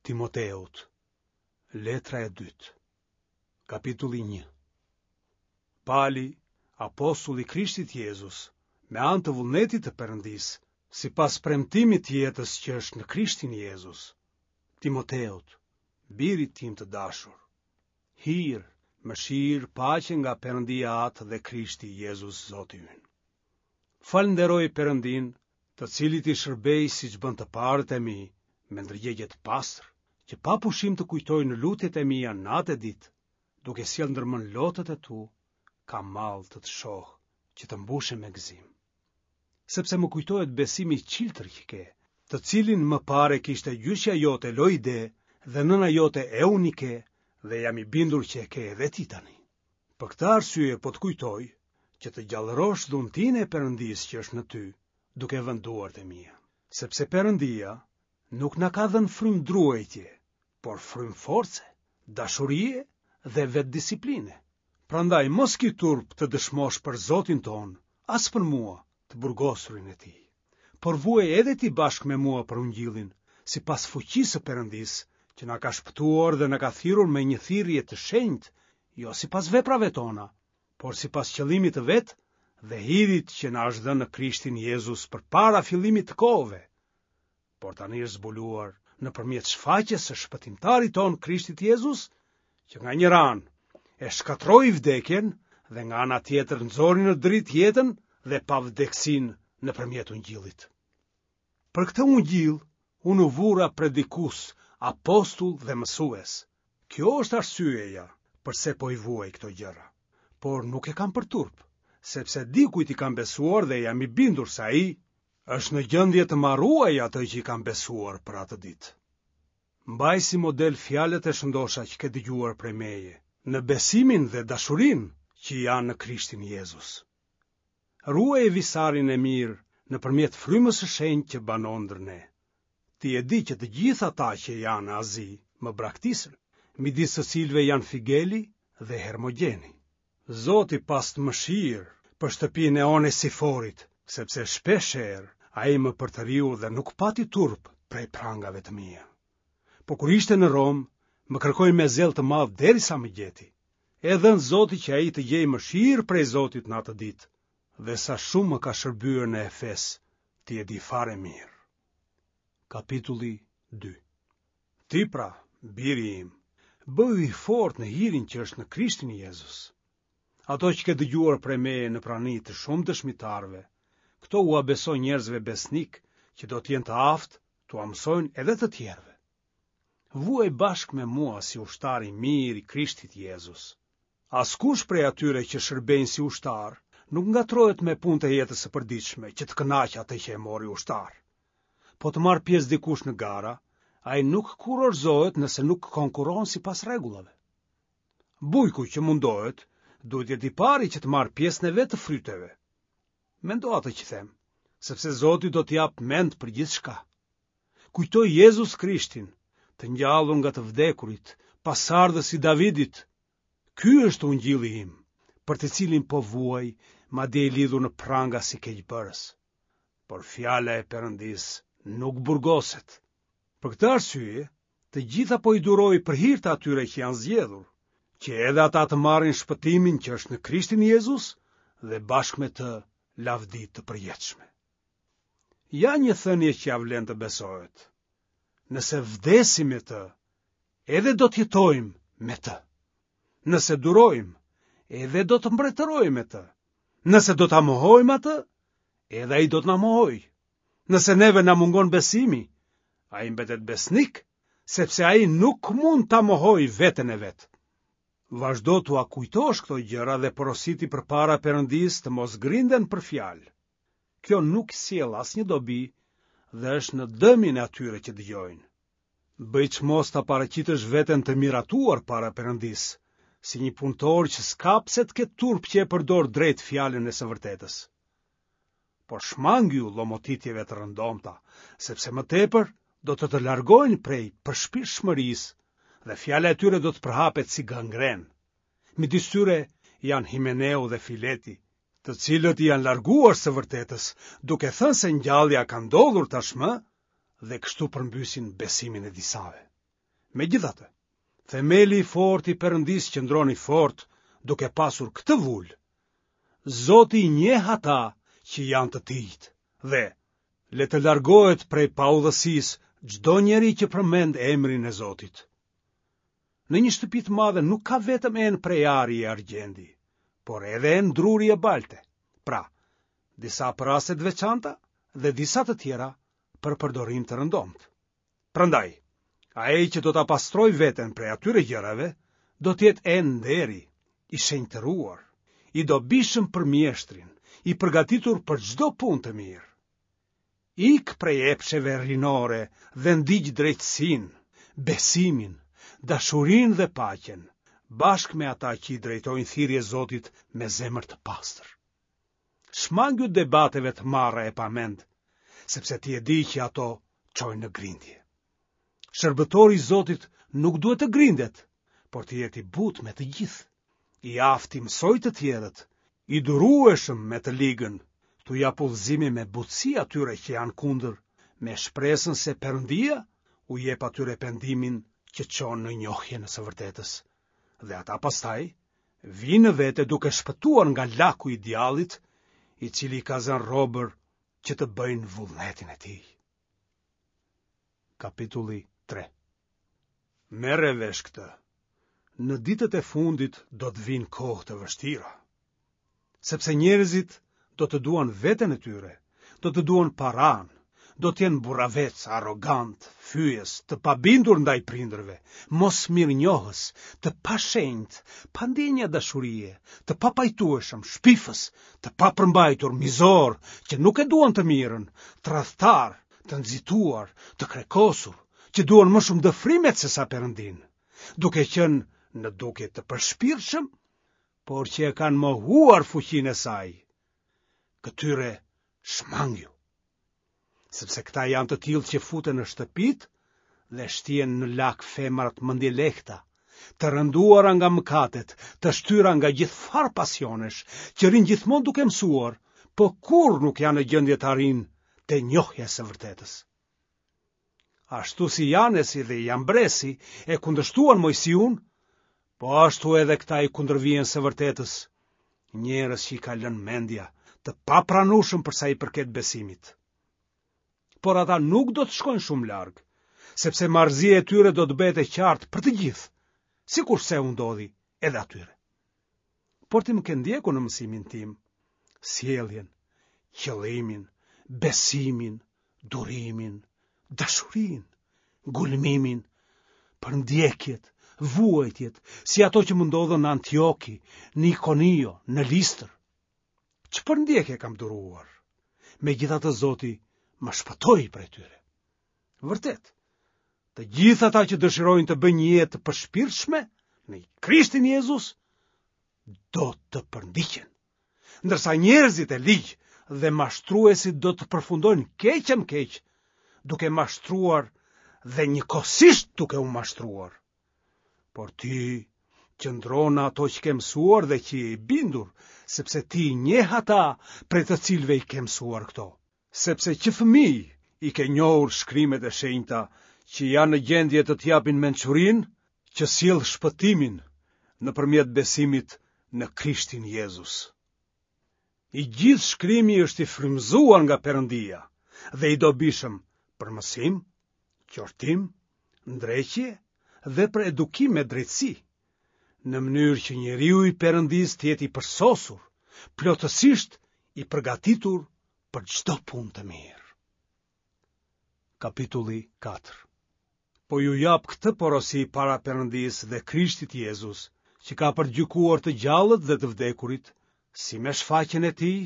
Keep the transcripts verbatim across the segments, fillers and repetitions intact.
Timoteut, letra e dytë, kapitulli një. Pali, apostull i Krishtit Jezus, me anë të vullnetit të Perëndisë, sipas premtimit të jetës që është në Krishtin Jezus, Timoteut, birit tim të dashur. Hir, mëshirë, paqe nga Perëndia Atë dhe Krishti Jezus Zoti ynë. Falënderoj Perëndinë, të cilit i shërbej siç bënë të parët e mi, me ndërgjegje të pastër, që pa pushim të kujtoj në lutjet e mia natë e ditë, duke sjellë ndërmend lotët e tu, kam mall të të shoh, që të mbushem me gëzim. Sepse më kujtohet besimi i çiltër që ke, të cilin më parë e kishte gjyshja jote Loide dhe nëna jote Eunike dhe jam i bindur që e ke edhe ti tani. Për këtë arsye po të kujtoj që të gjallërosh dhuntinë e Perëndisë që është në ty, duke vënë duart e mia. Sepse Perëndia nuk na ka dhënë frymë druajtje, por frymë force, dashurie dhe vetëdisipline. Prandaj mos ki turp të dëshmosh për Zotin tonë, as për mua, të burgosurin e tij. Por vuaj edhe ti bashkë me mua për ungjillin, sipas fuqisë së Perëndisë, që na ka shpëtuar dhe na ka thirrur me një thirrje të shenjtë, jo sipas veprave tona, por sipas qëllimit të vet dhe hirit që na është dhënë në Krishtin Jezus përpara fillimit të kohëve. Por tani është zbuluar nëpërmjet shfaqjes së shpëtimtarit tonë Krishtit Jezus, që nga njëra anë e shkatërroi vdekjen dhe nga ana tjetër nxori në dritë jetën dhe pavdekësinë nëpërmjet ungjillit. Për këtë ungjill unë u vura predikues, apostull dhe mësues. Kjo është arsyeja përse po i vuaj këto gjëra. Por nuk e kam për turp, sepse di kujt i kam besuar dhe jam i bindur se ai është në gjendje të ma ruajë atë që i kam besuar për atë ditë. Mbaj si model fjalët e shëndosha që ke dëgjuar prej meje, në besimin dhe dashurinë që janë në Krishtin Jezus. Ruaje visarin e mirë nëpërmjet frymës së shenjtë që banon ndër ne. Ti e di që të gjithë ata që janë në Azi më braktisën, midis të cilëve janë Figeli dhe Hermogjeni. Zoti pastë mëshirë për shtëpinë e Onesiforit, sepse shpeshherë ai më përtëriu dhe nuk pati turp prej prangave të mia. Po kur ishte në Romë, më kërkoi me zell të madh derisa më gjeti. E dhëntë Zoti që ai të gjejë mëshirë prej Zotit në atë ditë, dhe sa shumë më ka shërbyer në Efes, ti e di fare mirë. Kapitulli dy. Ti pra, biri im, bëhu i fortë në hirin që është në Krishtin Jezus. Ato që ke dëgjuar prej meje në prani të shumë dëshmitarëve, këto ua beso njerëzve besnikë që do të jenë të aftë t'ua mësojnë edhe të tjerëve. Vuaj bashkë me mua si ushtar i mirë i Krishtit Jezus. Askush prej atyre që shërbejnë si ushtar nuk ngatërrohet me punët e jetës së përditshme që të kënaqë atë që e mori ushtar. Po të marrë pjesë dikush në gara, ai nuk kurorëzohet nëse nuk konkurron sipas rregullave. Bujku që mundohet, duhet të jetë i pari që të marrë pjesën e vet të fryteve. Mendo atë që them, sepse Zoti do të japë mend për gjithçka. Kujto Jezus Krishtin, të ngjallur nga të vdekurit, pasardhës i Davidit. Ky është ungjilli im, për të cilin po vuaj, madje i lidhur në pranga si keqbërës. Por fjala e Perëndisë nuk burgoset. Për këtë arsye, të gjitha po i duroj për hir të atyre që janë zgjedhur, që edhe ata të marrin shpëtimin që është në Krishtin Jezus dhe bashkë me të lavdi të përjetshme. Ja një thënie që ia vlen të besohet. Nëse vdesim me të, edhe do të jetojmë me të. Nëse durojmë, edhe do të mbretërojmë me të. Nëse do ta mohojmë atë, edhe ai do të na mohojë. Nëse neve na mungon besimi, ai mbetet besnik, sepse ai nuk mund ta mohojë veten e vet. Vazhdo t'ua kujtosh këto gjëra dhe porositi përpara Perëndisë të mos grinden për fjalë. Kjo nuk sjell asnjë dobi dhe është në dëmin e atyre që dëgjojnë. Bëj çmos ta paraqitësh veten të miratuar para Perëndisë, si një punëtor që s'ka pse të ketë turp që e përdor drejt fjalën e së vërtetës. Por shmangju llomotitjeve të rëndomta, sepse më tepër do të të largojnë prej përshpirtshmërisë dhe fjala e tyre do të përhapet si gangren. Midis tyre janë Himeneu dhe Fileti, të cilët i janë larguar së vërtetës, duke thënë se ngjallja ka ndodhur tashmë dhe kështu përmbysin besimin e disave. Megjithatë, themeli i fortë i Perëndisë qëndron i fortë duke pasur këtë vulë. Zoti i njeh ata që janë të tijtë dhe le të largohet prej paudhësisë çdo njeri që përmend emrin e Zotit. Në një shtëpi të madhe nuk ka vetëm enë prej ari e argjendi, por edhe enë druri e balte. Pra, disa për raste të veçanta dhe disa të tjera për përdorim të rëndomtë. Prandaj, ai që do ta pastrojë veten prej atyre gjërave, do të jetë enë nderi, i shenjtëruar, i dobishëm për mjeshtrin, i përgatitur për çdo punë të mirë. Ik prej epsheve rinore dhe ndiq drejtësinë, besimin, dashurinë dhe paqen, bashkë me ata që i drejtojnë thirrje Zotit me zemër të pastër. Shmangju debateve të marra e pa mend, sepse ti e di që ato çojnë në grindje. Shërbëtori i Zotit nuk duhet të grindet, por të jetë i butë me të gjithë, i aftë t'i mësojë të tjerët, i durueshëm me të ligën, t'u japë udhëzime me butësi atyre që janë kundër, me shpresën se Perëndia u jep atyre pendimin që çon në njohjen e së vërtetës. Dhe ata pastaj vijnë në vete duke shpëtuar nga laku i djallit, i cili i ka zënë robër që të bëjnë vullnetin e tij. Kapitulli tre. Merre vesh këtë. Në ditët e fundit do të vinë kohë të vështira, sepse njerëzit do të duan veten e tyre, do të duan paranë, do të jenë burravec, arrogant, fyes, të pabindur ndaj prindërve, mosmirënjohës, të pashenjtë, pa ndjenja dashurie, të papajtueshëm, shpifës, të papërmbajtur, mizor, që nuk e duan të mirën, tradhtar, të nxituar, të krekosur, që duan më shumë dëfrimet se sa Perëndinë, duke qenë në dukje të përshpirtshëm, por që e kanë mohuar fuqinë e saj. Këtyre shmangju, sepse këta janë të tillë që futen në shtëpitë dhe shtien në lak femrat mendjelehta, të rënduara nga mëkatet, të shtyra nga gjithfarë pasionesh, që rrinë gjithmonë duke mësuar, po kurrë nuk janë në gjendje të arrijnë te njohja e së vërtetës. Ashtu si Janesi dhe Jambresi e kundërshtuan Moisiun, po ashtu edhe këta i kundërvihen së vërtetës, njerëz që i ka lënë mendja, të papranueshëm për sa i përket besimit. Por ata nuk do të shkojnë shumë larg, sepse marrëzia e tyre do të bëhet e qartë për të gjithë, sikurse u ndodhi edhe atyre. Por ti më ke ndjekur në mësimin tim, sjelljen, qëllimin, besimin, durimin, dashurinë, ngulmimin, përndjekjet, vuajtjet, si ato që më ndodhën në Antioki, në Ikonio, në Listër. Ç'përndjekje kam duruar? Megjithatë Zoti më shpëtoi prej tyre. Vërtet, të gjithë ata që dëshirojnë të bëjnë një jetë të përshpirtshme në Krishtin Jezus do të përndiqen. Ndërsa njerëzit e ligj dhe mashtruesit do të përfundojnë keq e më keq, duke mashtruar dhe njëkohësisht duke u mashtruar. Por ti qëndro në ato që ke mësuar dhe që je i bindur, sepse ti i njeh ata prej të cilëve i ke mësuar këto. Sepse që fëmijë i ke njohur shkrimet e shenjta që janë në gjendje të të japin mençurinë që sjell shpëtimin nëpërmjet besimit në Krishtin Jezus. I gjithë shkrimi është i frymëzuar nga Perëndia dhe i dobishëm për mësim, qortim, ndreqje dhe për edukim me drejtësi, në mënyrë që njeriu i Perëndisë të jetë i përsosur, plotësisht i përgatitur për çdo punë të mirë. Kapitulli katër. Po ju jap këtë porosi para Perëndisë dhe Krishtit Jezus, që ka për të gjykuar të gjallët dhe të vdekurit, si me shfaqjen e tij,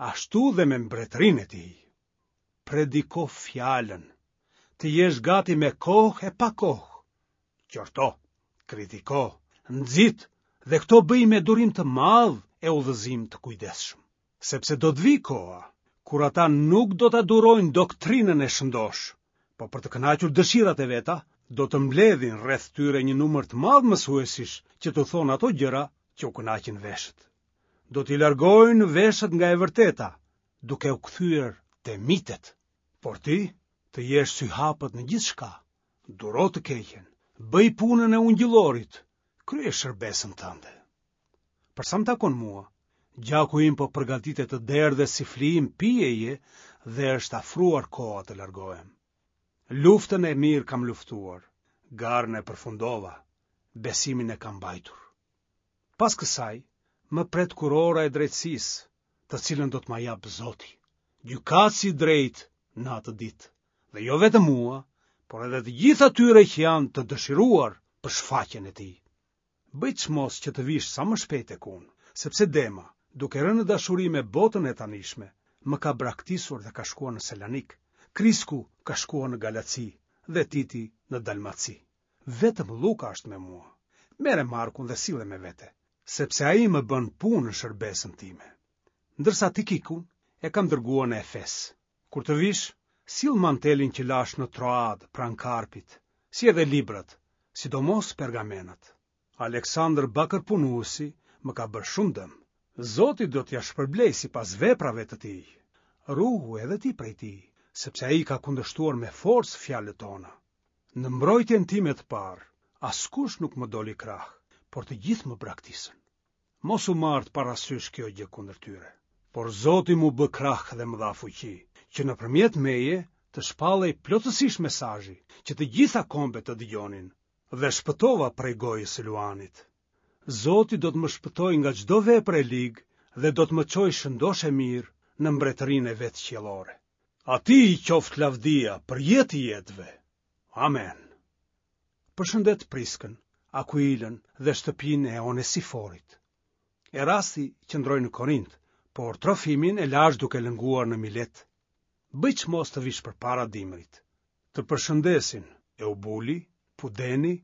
ashtu dhe me mbretërinë e tij. Prediko fjalën, të jesh gati me kohë e pa kohë. Qorto, kritiko, nxit dhe këto bëj me durim të madh e udhëzim të kujdesshëm. Sepse do të vijë koha kur ata nuk do ta durojnë doktrinën e shëndoshë, po për të kënaqur dëshirat e veta, do të mbledhin rreth tyre një numër të madh mësuesish që t'u thonë ato gjëra që u kënaqin veshët. Do t'i largojnë veshët nga e vërteta, duke u kthyer te mitet. Por ti, të jesh syhapët në gjithçka, duro të keqen, Bëj punën e ungjillorit, krye shërbesën tënde. Për sa më takon mua, gjaku im po përgatitet të derdhet si flijim pijeje dhe është afruar koha të largohem. Luftën e mirë kam luftuar, garën e përfundova, besimin e kam mbajtur. Pas kësaj, më pret kurora e drejtësisë, të cilën do të ma japë Zoti, gjykatësi i drejtë në atë ditë, dhe jo vetëm mua, por edhe të gjithë atyre që janë të dëshiruar për shfaqjen e tij. Bëj çmos që të vish sa më shpejt tek unë, sepse Dema, duke rënë në dashuri me botën e tanishme, më ka braktisur dhe ka shkuar në Selanik. Krisku ka shkuar në Galaci dhe Titi në Dalmaci. Vetëm Lluka është me mua. Merre Markun dhe sille me vete, sepse ai më bën punë në shërbesën time. Ndërsa Tikikun e kam dërguar në Efes. Kur të vish, sill mantelin që lashë në Troadë pranë Karpit, si edhe librat, sidomos pergamenat. Aleksandër bakërpunuesi më ka bërë shumë dëm. Zoti do t'ia shpërblejë sipas veprave të tij. Ruhu edhe ti prej tij, sepse ai ka kundërshtuar me forcë fjalët tona. Në mbrojtjen time të parë, askush nuk më doli krah, por të gjithë më braktisën. Mos u marrtë parasysh kjo gjë kundër tyre. Por Zoti m'u bë krah dhe më dha fuqi, që nëpërmjet meje të shpallej plotësisht mesazhi, që të gjitha kombet të dëgjonin, dhe shpëtova prej gojës së luanit. Zoti do të më shpëtojë nga çdo vepër e ligë dhe do të më çojë shëndoshë e mirë në mbretërinë e vet qiellore. Atij i qoftë lavdia për jetë të jetëve. Amen. Përshëndet Priskën, Akuilën dhe shtëpinë e Onesiforit. Erasti qëndroi në Korint, por Trofimin e lashë duke lënguar në Milet. Bëj çmos të vish përpara dimrit. Të përshëndesin Eubuli, Pudeni,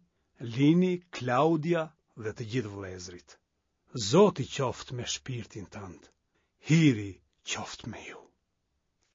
Lini, Klaudia dhe të gjithë vëllezërit. Zoti qoftë me shpirtin tënd. Hiri qoftë me ju.